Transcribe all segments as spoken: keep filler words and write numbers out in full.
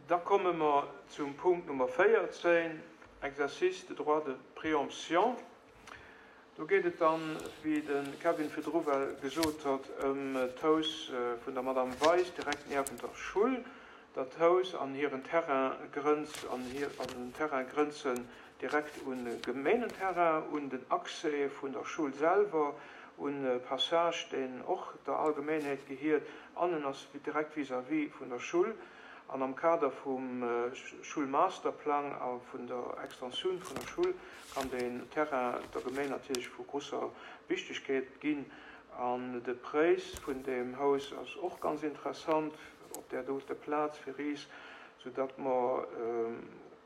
Da komme mer zum Punkt Nummer véierzéng, Exercice de droit de préemption. Do geet et dann, wéi de Kevin virdru well gesot huet, ëm d'Haus vun der Madame Weis direkt niewent der Schull. Dat Haus an hiren Terrain grënz an hir an den Terrain grënzen direkt un e Gemeengenterrain, un den Accès vun der Schull selwer, un e Passage, deen och der Allgemeenheet gehiert, an en ass direkt vis-à-vis vun der Schull. An am Kader vum Schulmasterplang a vun der Extensioun vun der Schull kann deen Terrain der Gemeng natierlech vu grosser Wichtegkeet ginn. An de Präis vun deem Haus ass och ganz interessant op där dote Plaz fir is, soudatt mer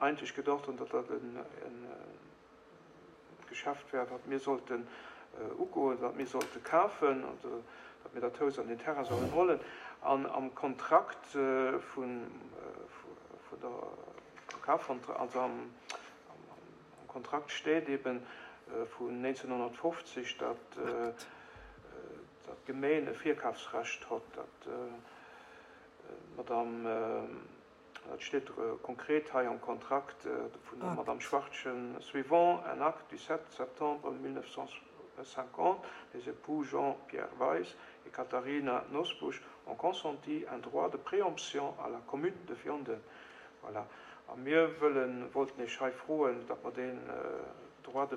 eigentlech gedacht hunn, datt dat e Geschäft wär, wat mir sollten ugoen, wat mir sollte kafen, also datt mir dat Haus an den Terrain sollen hollen. An am Kontrakt vun der Kafkontrakt, also am Kontrakt steet eben vun neunzehnhundertfünfzig, datt d'Gemeng e Virkafsrecht hat, datt d'Madame, dat steet konkret hei am Kontrakt vun der Madame Schwartchen, suivant un acte du sept septembre mille neuf cent cinquante, les époux Jean-Pierre Weiss et Katharina Nosbusch ont consenti un droit de préemption à la commune de Vianden. Voilà. A mir wëllen, wollten Iech hei froen, datt mer deen droit de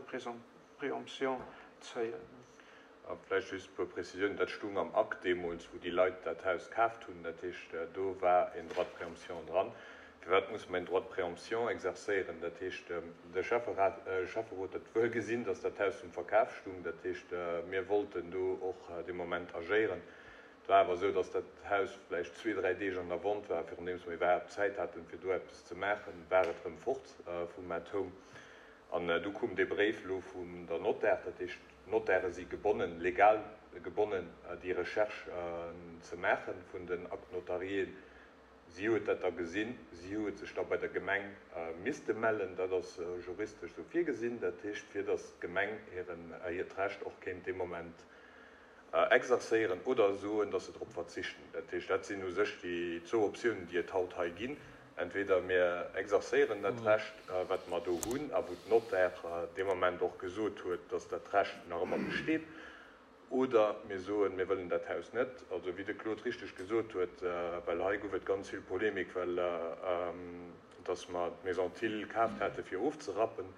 préemption zéien. A vläicht just e puer Précisiounen. Dat stung am Akt deemools, wou déi Leit dat Haus kaaft hunn. Dat heescht, do war een Droit de préemption dran. Firwat muss mer een Droit de préemption exercéieren? Dat heescht, de Schäfferat, Schäfferot huet wuel gesinn, datt dat Haus zum Verkaf stung. Dat heescht, mir wollten do och dee Moment agéieren. Et war awer esou, datt dat Haus vläicht zwee, dräi Deeg an der Vente war, virundeems mer iwwerhaapt Zäit haten, fir do eppes ze maachen, war et erëm fort vum At Home. An du koum dee Bréif elo vun der Notaire. Dat heescht, d'Notaire si gebonnen, legal gebonnen, déi Recherche ze maache vun den Actes notariés. Si huet dat da gesinn, si huet sech da bei der Gemeng misste mellen. Dat ass juristesch esou virgesinn. Dat heescht, fir datt d'Gemeng hiren, hiert Recht och kéint dee Moment exercéieren oder soen, datt se drop verzichten. Dat heescht, dat sinn u sech déi zwou Optiounen, déi et haut hei ginn. Entweder mir exercéieren dat Recht, wat mer do hunn a wou d'Notaire dee Moment och gesot huet, datt dat Recht nach ëmmer besteet, oder mir soen, mir wëllen dat Haus net. Also wéi de Claude richteg gesot huet, well hei gouf et ganz vill Polemik, well datt mer d'Maison Thill kaaft hate fir ofzerappen.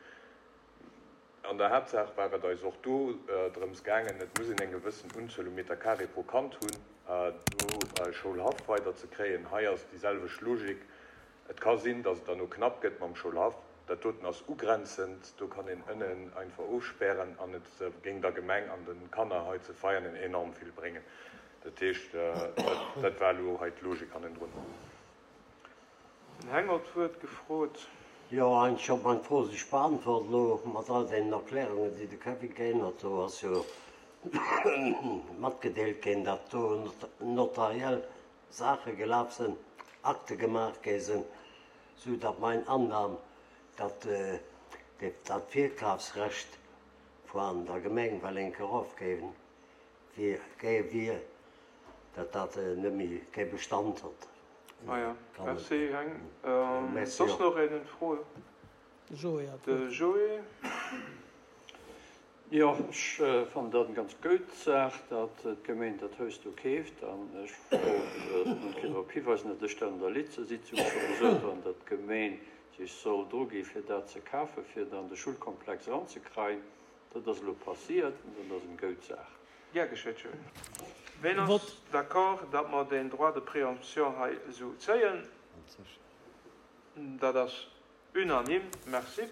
An der Haaptsaach war et eis och do drëms gaangen, et muss een eng gewëssen Unzuel u Meter carré pro Kand hunn, do Schoulhaff weider ze kréien. Hei ass déi selwecht Logik. Et ka sinn, datt et dann knapp gëtt mam Schoulhaff. Dat doten ass ugrenzend, do kann een ënnen einfach ofspären an et géing der Gemeng an de Kanner hei ze Veianen enorm vill bréngen. Dat heescht, dat war elo hei d'Logik hannendrun. Den Heng huet d'Wuert gefrot. Jo, eigentlech huet meng Fro sech beantwort elo mat all deenen Erklärungen, déi de Kevin ginn huet. Do ass jo matgedeelt ginn, datt do notariell Saache gelaf sinn, Akte gemaach gi sinn, sou datt mein Annahme, datt dat Virkafsrecht vun der Gemeng well eng Kéier erofginn wier, datt dat net méi kee Bestand huet. Ah ja, merci Heng. Soss nach een en Fro? De Joé. Jo, ech fannen dat eng ganz gutt Saach, datt d'Gemeng dat Haus do keeft. An ech wollt nach eng Kéier drop hiweisen, datt ech dat an der Litze-Sitzung scho gesot hunn, datt d'Gemeng sech soll drugi fir dat ze kafen, fir dann de Schulkomplex eranzekreien. Dat ass elo passiert an dat ass eng gutt Saach. Gär geschétt, Joé. Ween ass d'accord, datt mer deen Droit de préemption hei esou zéien? Dat ass unanime. Merci.